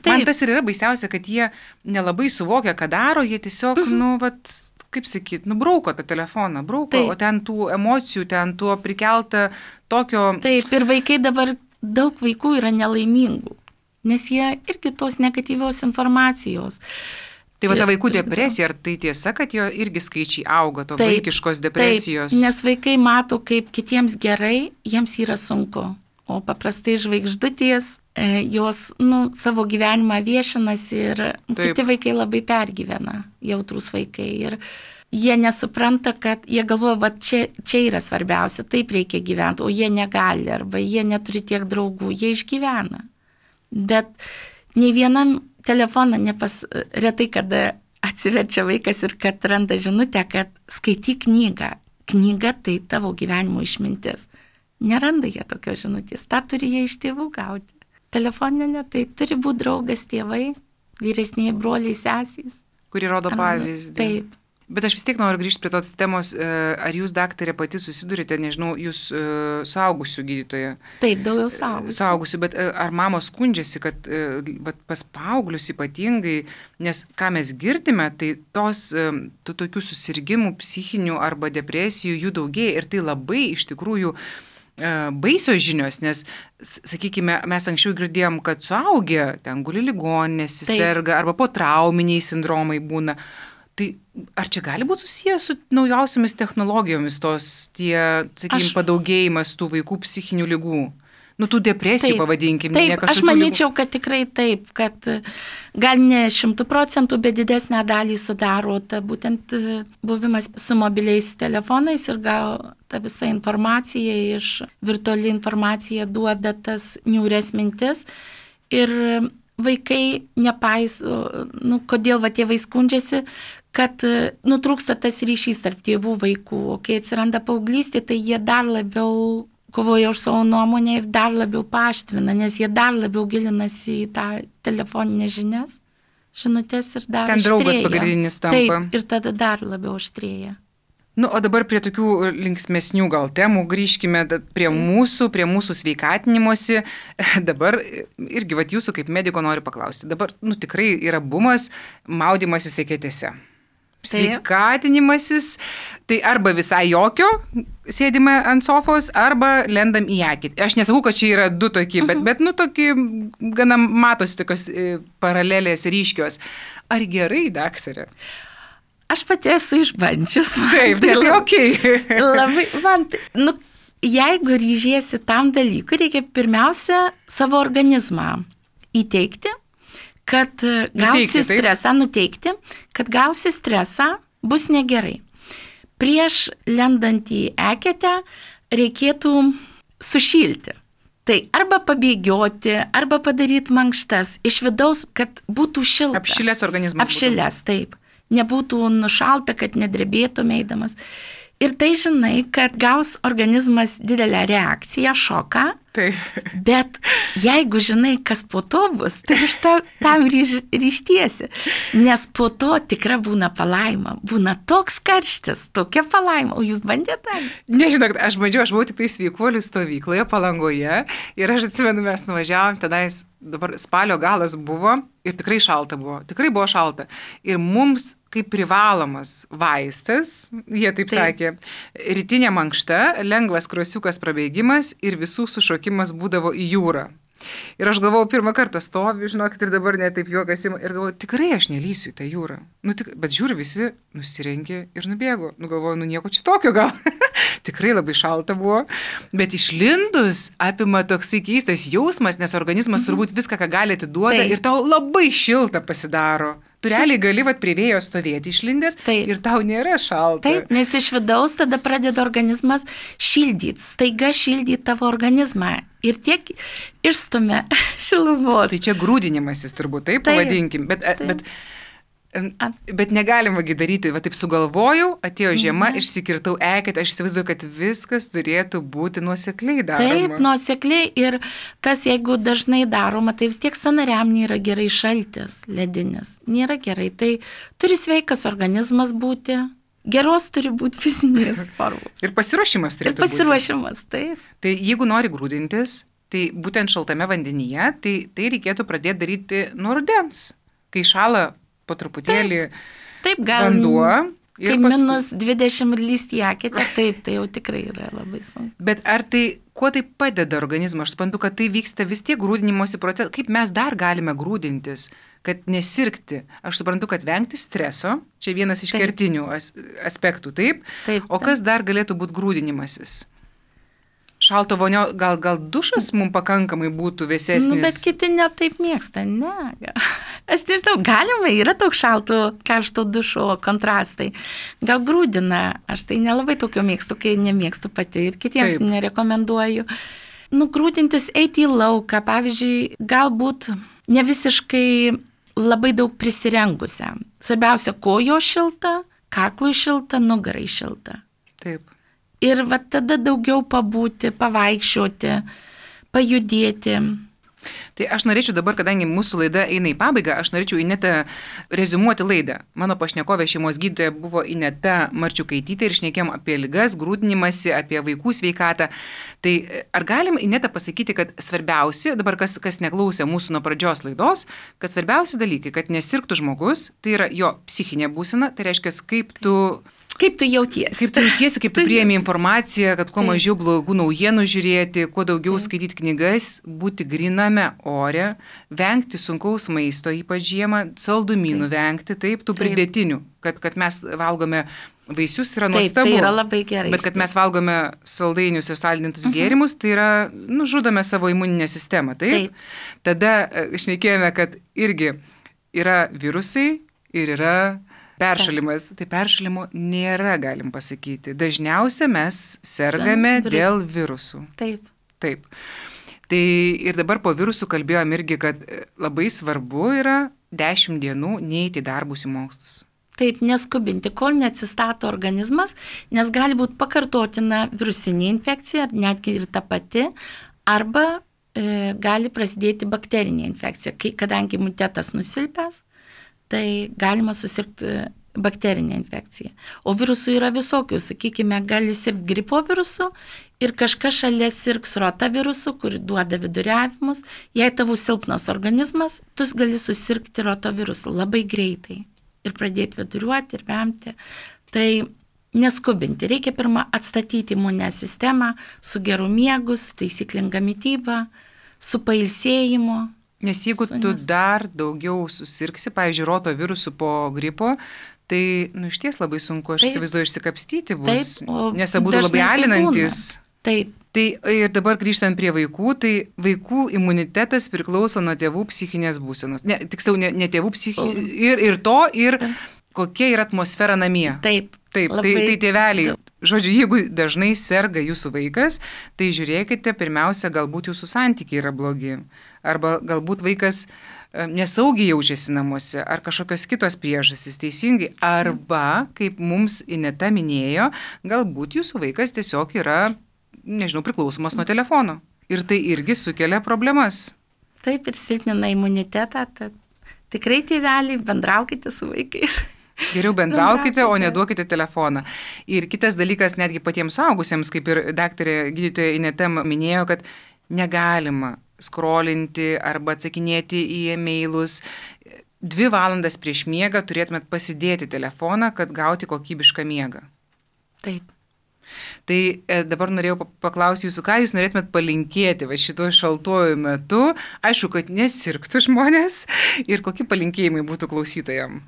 Man tas ir yra baisiausia, kad jie nelabai suvokia, ką daro, jie tiesiog, kaip sakyt, brauko tą telefoną, o ten tų emocijų, ten tuo prikelta tokio... Taip, ir vaikai dabar, daug vaikų yra nelaimingų. Nes jie irgi tos negatyvios informacijos. Tai ta vaikų depresija, ar tai tiesa, kad jo irgi skaičiai auga, to vaikiškos depresijos? Taip, nes vaikai mato, kaip kitiems gerai, jiems yra sunku. O paprastai žvaigždutės, jos savo gyvenimą viešinasi ir kiti vaikai labai pergyvena, jautrus vaikai. Ir jie nesupranta, kad jie galvoja, va čia yra svarbiausia, taip reikia gyventi, o jie negali, arba jie neturi tiek draugų, jie išgyvena. Bet nei vienam telefoną retai kada atsiverčia vaikas ir kad randa žinutę, kad skaityk knygą. Knyga tai tavo gyvenimo išmintis. Neranda jie tokios žinutės, tą turi jie iš tėvų gauti. Telefoninė ne, tai turi būti draugas tėvai, vyresniai broliai, sesys. Kuri rodo pavyzdį. Taip. Bet aš vis tiek noriu grįžti prie tos temos, ar jūs, daktarė, pati susidurite, nežinau, jūs suaugusių gydytoja. Taip, daugiau suaugusių. Suaugusių, bet ar mamos skundžiasi, kad pas paauglius ypatingai, nes ką mes girdime, tai tų tokių susirgymų, psichinių arba depresijų jų daugėja ir tai labai iš tikrųjų baisios žinios, nes, sakykime, mes anksčiau girdėjom, kad suaugę ten guli ligoninėse, serga arba potrauminiai sindromai būna. Tai ar čia gali būti susijęs su naujausiamis technologijomis sakykime, padaugėjimas tų vaikų psichinių ligų? Tų depresijų, pavadinkime. Taip, aš manyčiau, kad tikrai taip, kad gal ne 100%, bet didesnę dalį sudaro būtent buvimas su mobiliais telefonais ir gal ta visa informacija iš virtuali informacija duoda tas niūrias mintis ir vaikai nepaiso, kodėl tėvai skundžiasi, kad nutrūksta tas ryšys tarp tėvų vaikų, o kai atsiranda paauglystė, tai jie dar labiau kovoja už savo nuomonę ir dar labiau paaštrina, nes jie dar labiau gilinasi į tą telefoninę žinutės ir dar ten aštrėja. Draugas pagrindinis tampa. Taip, ir tada dar labiau aštrėja. O dabar prie tokių linksmesnių gal temų grįžkime prie mūsų sveikatinimosi. Dabar irgi jūsų kaip mediko noriu paklausti. Dabar tikrai yra bumas maudymasis eketėse. Sveikatinimasis, tai arba visai jokio sėdime ant sofos, arba lendam į eketę. Aš nesakau, kad čia yra du tokie, bet tokie gana matosi tokios paralelės ryškios. Ar gerai, daktarė? Aš pati esu išbandžius. Taip, tai okei. Labai, jeigu ryžiesi tam dalykui, reikia pirmiausia savo organizmą įteikti, kad gausi stresą, nuteikti, kad gausi stresą, bus negerai. Prieš lendant į eketę reikėtų sušilti. Tai arba pabėgioti, arba padaryti mankštas iš vidaus, kad būtų šilta. Apšilęs organizmas. Apšilęs, taip. Nebūtų nušalta, kad nedrebėtum eidamas. Ir tai žinai, kad gaus organizmas didelę reakciją, šoką. Taip. Bet jeigu žinai, kas po to bus, tai iš tam ryštiesi. Nes po to tikra būna palaima. Būna toks karštis, tokia palaima. O jūs bandėte? Nežinau, aš buvau tik tai sveikuolių stovykloje Palangoje ir aš atsimenu, mes nuvažiavom tenais, dabar spalio galas buvo ir tikrai šalta buvo. Tikrai buvo šalta. Ir mums kaip privalomas vaistas, jie taip sakė, rytinė mankšta, lengvas krosiukas prabėgimas ir visų sušokimas būdavo į jūrą. Ir aš galvojau, pirmą kartą stoviu, žinokit, ir dabar netaip juokas ima, ir galvoju, tikrai aš nelysiu į tą jūrą. Bet žiūriu, visi nusirengė ir nubėgo. Galvoju, nieko čia tokio gal. Tikrai labai šalta buvo. Bet išlindus apima toksai keistas jausmas, nes organizmas turbūt viską, ką gali atiduoda ir tau labai šilta pasidaro. Tu realiai gali prie vėjo stovėti išlindęs ir tau nėra šalta. Taip, nes iš vidaus tada pradeda organizmas šildyti, staiga šildyti tavo organizmą ir tiek išstumia šilumos. Tai čia grūdinimasis turbūt, taip pavadinkim, bet negalima daryti, taip sugalvojau, atėjo žiema, išsikirtau eketę, aš įsivaizduoju, kad viskas turėtų būti nuosekliai daroma. Taip, nuosekliai ir tas, jeigu dažnai daroma, tai vis tiek sąnariam nėra gerai šaltis, ledinis, nėra gerai, tai turi sveikas organizmas būti, geros turi būti fizinės formos. Ir pasiruošimas turėtų būti. Ir pasiruošimas, taip. Tai jeigu nori grūdintis, tai būtent šaltame vandenyje, tai reikėtų pradėti daryti nuo rudens, kai šala po truputėlį vanduo. Kai minus 20 ir lysti į eketę, taip, tai jau tikrai yra labai sunku. Bet kuo tai padeda organizmą? Aš suprantu, kad tai vyksta vis tiek grūdinimosi procesas. Kaip mes dar galime grūdintis, kad nesirgti? Aš suprantu, kad vengti streso, čia vienas iš kertinių aspektų, taip? O kas dar galėtų būti grūdinimasis? Šalto vonio, gal dušas mums pakankamai būtų vėsesnis? Bet kiti netaip mėgsta, ne. Aš nežinau, galima, yra daug šalto, karšto dušo kontrastai. Gal grūdina, aš tai nelabai tokio mėgstu, kai nemėgstu pati ir kitiems Taip. nerekomenduoju. Grūdintis, eiti į lauką, pavyzdžiui, galbūt ne visiškai labai daug prisirengusiam. Svarbiausia, kojo šilta, kaklui šilta, nugarai šilta. Taip. Ir va tada daugiau pabūti, pavaikščioti, pajudėti. Tai aš norėčiau dabar, kadangi mūsų laida eina į pabaigą, aš norėčiau Inetą reziumuoti laidą. Mano pašnekovė šeimos gydytoja buvo Ineta Marčiukaitytė ir šnekėjom apie ligas, grūdinimąsi, apie vaikų sveikatą. Tai ar galim, Ineta, pasakyti, kad svarbiausi, dabar kas neklausė mūsų nuo pradžios laidos, kad svarbiausi dalykai, kad nesirgtų žmogus, tai yra jo psichinė būsena, tai reiškia, kaip tu jautiesi, kaip tu priemi informaciją, kad kuo mažiau blogų naujienų žiūrėti, kuo daugiau skaityti knygas, būti griname ore, vengti sunkaus maisto, ypač žiemą, saldumynų vengti, tų pridėtinių, kad mes valgome vaisius, yra nuostabu. Tai yra labai gerai. Bet kad mes valgome saldainius ir saldintus gėrimus, tai yra, žudome savo imuninę sistemą. Taip. Tada šnekėjome, kad irgi yra virusai ir yra peršalimas. Tai peršalimo nėra, galim pasakyti. Dažniausia mes sergame dėl virusų. Taip. Tai ir dabar po virusų kalbėjom irgi, kad labai svarbu yra 10 dienų neiti į darbus į mokslus. Taip, neskubinti, kol neatsistato organizmas, nes gali būti pakartotina virusinė infekcija, netgi ir ta pati, arba gali prasidėti bakterinė infekcija. Kadangi imunitetas nusilpęs, tai galima susirgti bakterinė infekcija. O virusų yra visokių, sakykime, gali sirgti gripo virusu ir kažkas šalia sirgs rotavirusu, kuri duoda viduriavimus. Jei tavo silpnas organizmas, tu gali susirgti rotavirusu labai greitai ir pradėti viduriuoti ir vemti. Tai neskubinti, reikia pirmą atstatyti imuninę sistemą su geru miegu, su taisyklinga mytyba, su pailsėjimu. Nes jeigu tu dar daugiau susirgsi, pavyzdžiui, rotavirusu po gripo, tai, iš ties labai sunku, aš įsivaizduoju, išsikapstyti bus, nes abu labai alinantis. Taip. Tai ir dabar grįžtant prie vaikų, tai vaikų imunitetas priklauso nuo tėvų psichinės būsenos. Tiksliau, ne tėvų psichinės, ir kokia yra atmosfera namie. Taip. Tai tėveliai, žodžiu, jeigu dažnai serga jūsų vaikas, tai žiūrėkite, pirmiausia, galbūt jūsų santykiai yra blogi. Arba galbūt vaikas nesaugiai jaučiasi namuose, ar kažkokios kitos priežastys, teisingai. Arba, kaip mums Ineta minėjo, galbūt jūsų vaikas tiesiog yra, priklausomas nuo telefono. Ir tai irgi sukelia problemas. Taip, ir silpnina imunitetą. Tad tikrai tėveliai, bendraukite su vaikais. Geriau bendraukite, o neduokite telefoną. Ir kitas dalykas, netgi patiems suaugusiems, kaip ir daktarė gydytoja Ineta minėjo, kad negalima skrolinti arba atsakinėti į e-mailus. 2 valandas prieš miegą turėtumėt pasidėti telefoną, kad gauti kokybišką miegą. Taip. Tai dabar norėjau paklausti jūsų, ką jūs norėtumėt palinkėti šituo šaltuoju metu. Aišku, kad nesirgtų žmonės ir kokie palinkėjimai būtų klausytojams.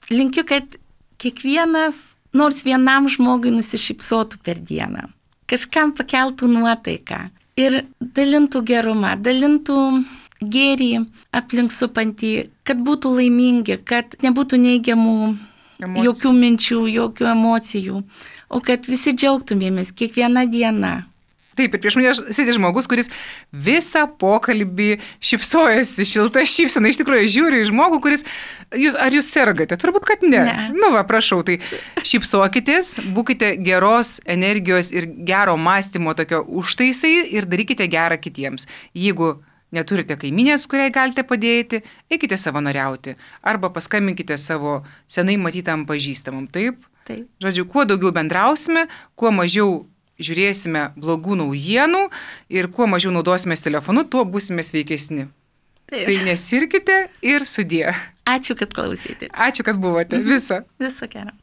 Linkiu, kad kiekvienas, nors vienam žmogui nusišypsotų per dieną. Kažkam pakeltų nuotaiką. Ir dalintų gerumą, dalintų gėrį aplink supantį, kad būtų laimingi, kad nebūtų neigiamų jokių minčių, jokių emocijų, o kad visi džiaugtumėmės kiekvieną dieną. Taip, ir prieš mane sėdi žmogus, kuris visą pokalbį šypsojasi, šilta šypsena, iš tikrųjų žiūri į žmogų, kuris, ar jūs sergate? Turbūt, kad ne. Prašau, tai šypsokitės, būkite geros energijos ir gero mąstymo tokio užtaisai ir darykite gerą kitiems. Jeigu neturite kaiminės, kuriai galite padėti, eikite savanoriauti arba paskambinkite savo senai matytam pažįstamam. Taip? Žodžiu, kuo daugiau bendrausime, kuo mažiau žiūrėsime blogų naujienų ir kuo mažiau naudosimės telefonu, tuo būsime sveikesni. Taip. Tai nesirkite ir sudie. Ačiū, kad klausėtės. Ačiū, kad buvote. Viso. Viso gero.